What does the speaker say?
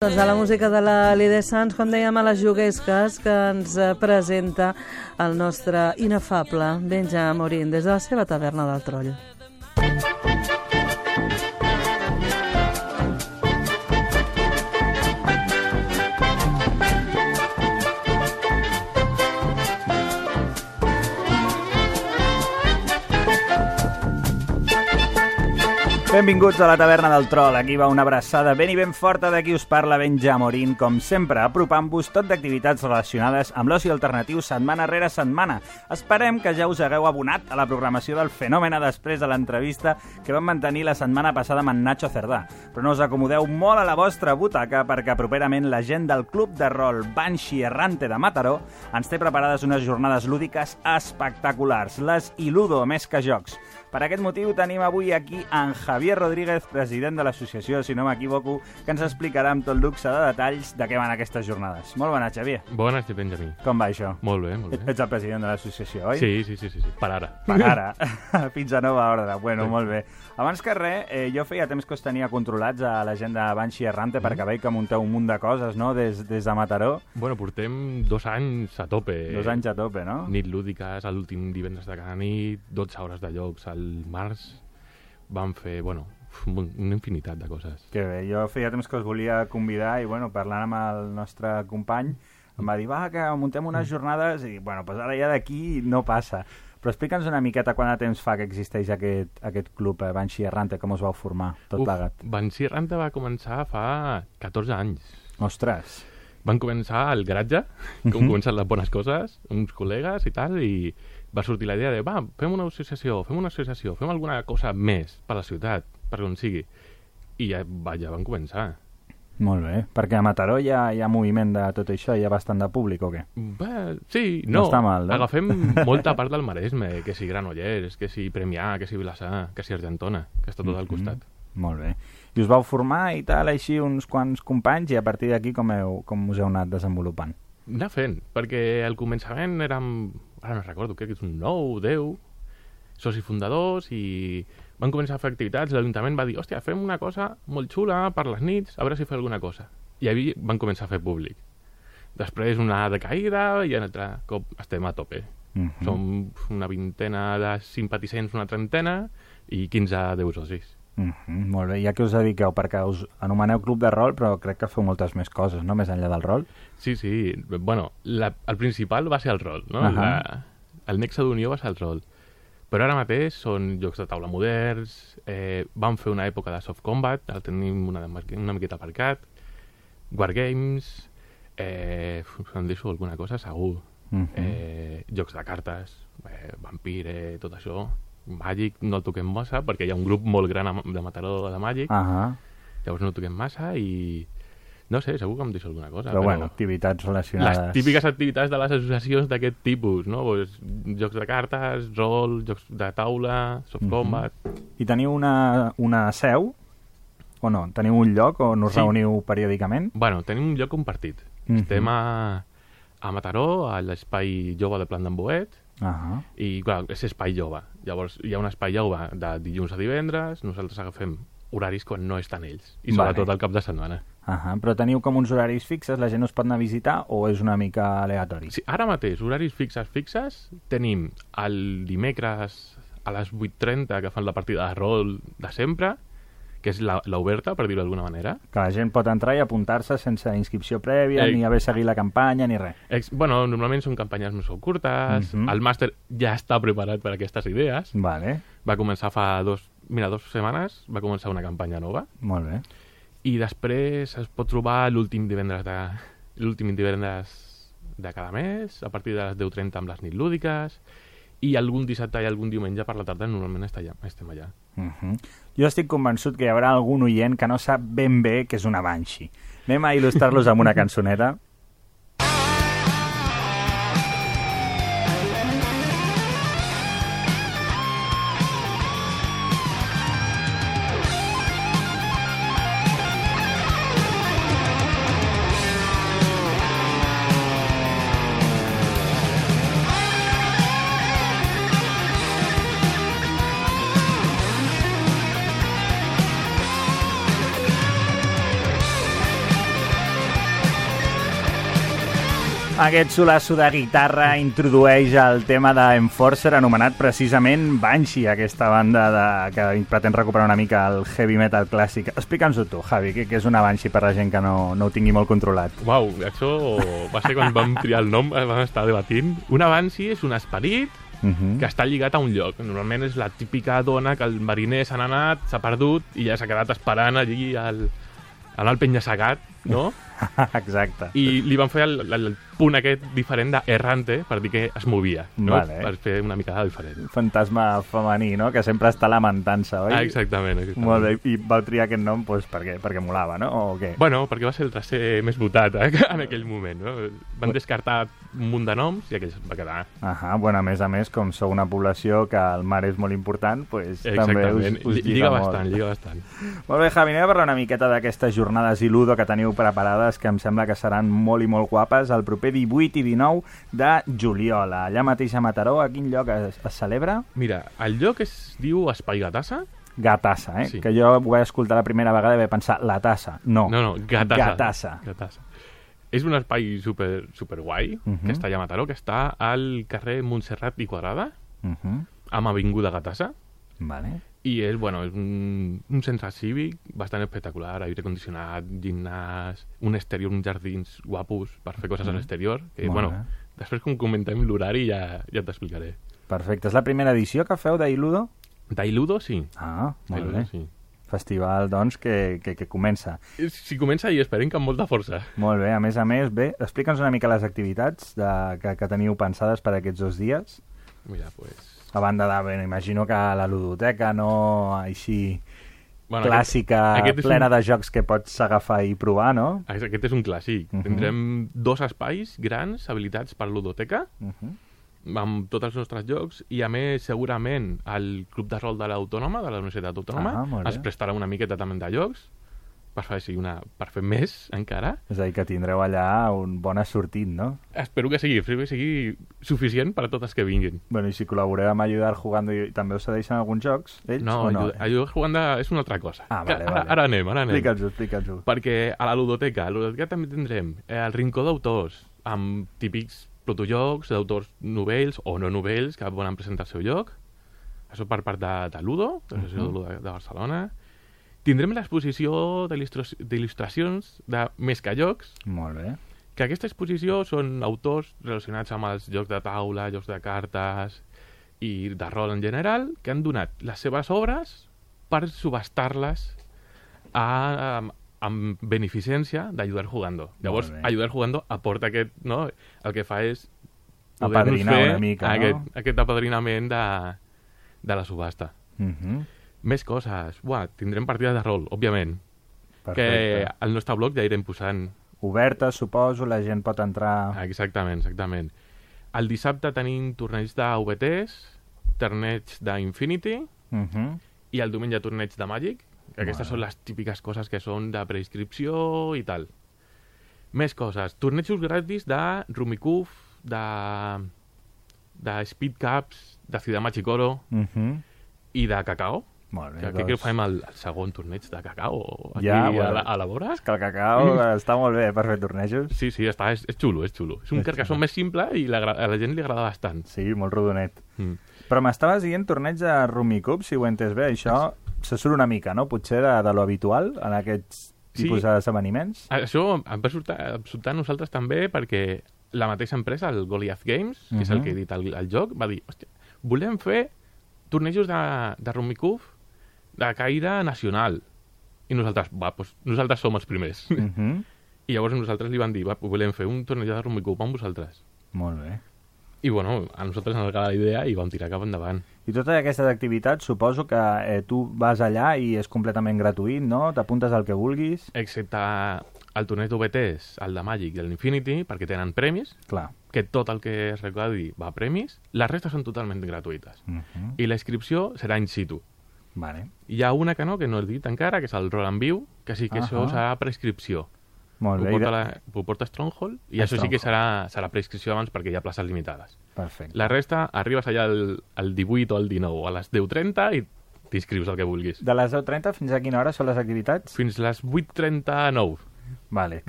Doncs de la música de la Lide Sans, com dèiem, a les juguesques que ens presenta el nostre inefable Benja Morín des de la seva taverna del Troll. Benvinguts a la taverna del Troll. Aquí va una abraçada ben i ben forta de qui us parla, Benja Morín, com sempre, apropant-vos tot d'activitats relacionades amb l'oci alternatiu setmana rere setmana. Esperem que ja us hagueu abonat a la programació del Fenòmena després de l'entrevista que vam mantenir la setmana passada amb en Nacho Cerdà. Però no us acomodeu molt a la vostra butaca perquè properament la gent del Club de Rol Banshee Errante de Mataró ens té preparades unes jornades lúdiques espectaculars, les Iludo més que jocs. Per aquest motiu tenim avui aquí en Javier Rodríguez, president de l'associació, si no m'equivoco, que ens explicarà amb tot luxe de detalls de què van aquestes jornades. Molt bona, Xavier. Bona, Benjamí. Com va això? Molt bé, molt bé. Ets el president de l'associació, oi? Sí. Per ara. Per ara. Fins a nova ordre. Bueno, molt bé. Abans que res, jo feia temps que us tenia controlats a la gent de Banshee Errante perquè veig que munteu un munt de coses, no?, des de Mataró. Bueno, portem 2 anys a tope. 2 anys a tope, no? Nit lúdiques, l'últim divendres de cada nit, 12 hores de jocs al març. Vam fer, bueno, una infinitat de coses. Que bé, jo feia temps que us volia convidar i, bueno, parlant amb el nostre company, em va dir, va, que muntem unes jornades i, bueno, pues ara ja d'aquí no passa. Però explica'ns una miqueta quant de temps fa que existeix aquest club, Banshee Errante, com us vau formar, tot plegat. Banshee Errante va començar fa 14 anys. Ostres! Van començar al garatge, com comencen les bones coses, uns col·legues i tal, i va sortir la idea de, va, fem una associació, fem alguna cosa més per la ciutat, per on sigui. I ja van començar. Molt bé, perquè a Mataró hi ha moviment de tot això, hi ha bastant de públic o què? Bé, sí, no està mal, no? Agafem molta part del Maresme, que si Granollers, que si Premià, que si Vilassar, que si Argentona, que està tot al costat. Molt bé. I us vau formar i tal, així uns quants companys, i a partir d'aquí com us heu anat desenvolupant? Anar fent, perquè al començament érem, ara no recordo, crec que és un 9, 10 socis fundadors i van començar a fer activitats. L'Ajuntament va dir, hòstia, fem una cosa molt xula per les nits, a veure si fer alguna cosa. I ahir van començar a fer públic. Després una decaïda i un altre cop estem a tope. Som una vintena de simpatitzants, una trentena i 15 10 socis. Molt bé, ja que us dediqueu, perquè us anomeneu Club de Rol, però crec que feu moltes més coses, no?, més enllà del rol. Sí, bueno, el principal va ser el rol, no? El nexe d'unió va ser el rol. Però ara mateix són jocs de taula moderns, vam fer una època de soft combat, el tenim una miqueta aparcat, wargames, em deixo alguna cosa segur, jocs de cartes, Vampire, tot això. Màgic no el toquem massa perquè hi ha un grup molt gran de Mataró de Màgic, llavors no el toquem massa i no sé, segur que em deixo alguna cosa. Però bueno, activitats relacionades. Les típiques activitats de les associacions d'aquest tipus, no? Pues, jocs de cartes, rol, jocs de taula, soft combat... I teniu una seu? O no? Teniu un lloc on us reuniu periòdicament? Bueno, tenim un lloc compartit. Estem a Mataró, a l'espai jove de Plant d'en Boet, i clar, és espai jove. Llavors hi ha un espai jove de dilluns a divendres, nosaltres agafem horaris quan no estan ells, i sobretot al cap de setmana. Però teniu com uns horaris fixes, la gent us pot anar a visitar o és una mica aleatori? Sí, ara mateix, horaris fixes, tenim el dimecres a les 8:30 que fan la partida de rol de sempre, que és l'oberta, per dir-ho d'alguna manera. Que la gent pot entrar i apuntar-se sense inscripció prèvia, ni haver seguit la campanya, ni res. Bueno, normalment són campanyes més curtes, el màster ja està preparat per aquestes idees. Vale. Va començar fa 2 setmanes, va començar una campanya nova. Molt bé. I després es pot trobar l'últim divendres de cada mes, a partir de les 10:30 amb les nit lúdiques, i algun dissabte i algun diumenge per la tarda normalment estem allà. Jo estic convençut que hi haurà algun oient que no sap ben bé què és una Banshee. Anem a il·lustrar-los amb una cançoneta. Aquest solasso de guitarra introdueix el tema d'Enforcer, anomenat precisament Banshee, aquesta banda que pretén recuperar una mica el heavy metal clàssic. Explica'ns-ho tu, Javi, què és una Banshee per la gent que no ho tingui molt controlat. Uau, això va ser quan vam triar el nom, vam estar debatint. Una Banshee és un esperit que està lligat a un lloc. Normalment és la típica dona que el mariner se n'ha anat, s'ha perdut i ja s'ha quedat esperant allí al penya-segat, no? Exacte. I li van fer el punt aquest diferent d'errante per dir que es movia, no? Vale. Per fer una mica diferent. Fantasma femení, no? Que sempre està lamentant-se, oi? Exactament. Molt bé. I vau triar aquest nom perquè molava, no? O què? Bueno, perquè va ser el tercer més votat en aquell moment, no? Van descartar un munt de noms i aquell va quedar. Bueno, a més, com sou una població que el mar és molt important, pues, també us lliga molt. Lliga bastant. Molt bé, Javi, anem a parlar una miqueta d'aquestes jornades i Ludo que teniu preparades, que em sembla que seran molt i molt guapes, el proper 18 i 19 de juliol. Allà mateix a Mataró, a quin lloc es celebra? Mira, el lloc es diu Espai Gatassa. Gatassa, Sí. Que jo ho vaig escoltar la primera vegada i vaig pensar, la tassa. No, Gatassa. És un espai super guai, que està allà a Mataró, que està al carrer Montserrat i Quadrada, amb Avinguda Gatassa. Vale. I és un centre cívic bastant espectacular, aire condicionat, gimnàs, un exterior, uns jardins guapos per fer coses a l'exterior, que, després com comentem l'horari ja t'explicaré. Perfecte. És la primera edició que feu d'Iludo? D'Iludo, sí. Molt bé. Sí. Festival, doncs, que comença. Sí, comença i esperem que amb molta força. Molt bé. A més, bé, explica'ns una mica les activitats que teniu pensades per aquests 2 dies. Mira, pues... A banda imagino que la ludoteca, no així clàssica, plena de jocs que pots agafar i provar, no? Aquest és un clàssic. Tindrem 2 espais grans habilitats per ludoteca, amb tots els nostres jocs, i a més, segurament, el Club de Rol de l'Autònoma, de la Universitat Autònoma, es prestarà una miqueta també de jocs, per fer més encara. És a dir, que tindreu allà un bon assortit, no? Espero que sigui suficient per a tots els que vinguin. Bueno, i si col·laboreu amb Ayudar Jugando, també us cedeixen alguns jocs, ells, o no? Ayudar Jugando és una altra cosa. Vale. Ara anem. Explica'ns-ho. Perquè a la ludoteca també tindrem el Rincó d'Autors, amb típics protojocs d'autors novells o no novells que volen presentar el seu joc. Això per part de Ludo, de l'Associació de Ludo de Barcelona. Tindrem l'exposició d'il·lustracions de Més que jocs. Molt bé. Que aquesta exposició són autors relacionats amb els jocs de taula, jocs de cartes i de rol en general, que han donat les seves obres per subhastar-les amb beneficència d'Ayudar Jugando. Llavors, Ayudar Jugando aporta aquest, no? El que fa és apadrinar una mica, no? Aquest apadrinament de la subhasta. Més coses. Tindrem partides de rol, òbviament. Perfecte. Que al nostre blog ja irem posant. Oberta, suposo, la gent pot entrar... Exactament. El dissabte tenim torneigs de VTs, torneigs d'Infinity, i el diumenge torneig de Magic, que aquestes són les típiques coses que són de preinscripció i tal. Més coses. Tornejos gratis de Rumicuf, de Speed Cups, de Ciudad Machicoro i de Cacao. Molt bé, que fem el segon torneig de cacao aquí a la vora. És que el cacao està molt bé per fer tornejos. Sí, és xulo. És un carcassó més simple i a la gent li agrada bastant. Sí, molt rodonet. Però m'estaves dient torneig de Rumicup, si ho he entès bé. Això se surt una mica, no? Potser de lo habitual en aquests tipus d'esdeveniments. Això em va sortar a nosaltres també perquè la mateixa empresa, el Goliath Games, que és el que edita el joc, va dir, hòstia, volem fer tornejos de Rumicup de caire nacional. I nosaltres, nosaltres som els primers. I llavors nosaltres li van dir, volem fer un torneig de Rumicup amb vosaltres. Molt bé. I a nosaltres ens agradava la idea i vam tirar cap endavant. I totes aquestes activitats, suposo que tu vas allà i és completament gratuït, no? T'apuntes al que vulguis. Excepte el torneig d'OBTs, el de Magic i l'Infinity, perquè tenen premis. Clar. Que tot el que es recaudi va a premis. Les restes són totalment gratuïtes. I la inscripció serà in situ. Vale. Hi ha una que no he dit encara, que és el Roll and View, que sí que això serà prescripció. Molt bé. Ho porta Stronghold, i això sí que serà prescripció abans perquè hi ha places limitades. Perfecte. La resta, arribes allà el 18 o el 19, a les 10:30 i t'inscrius el que vulguis. De les 10:30 fins a quina hora són les activitats? Fins les 8:39. Vale,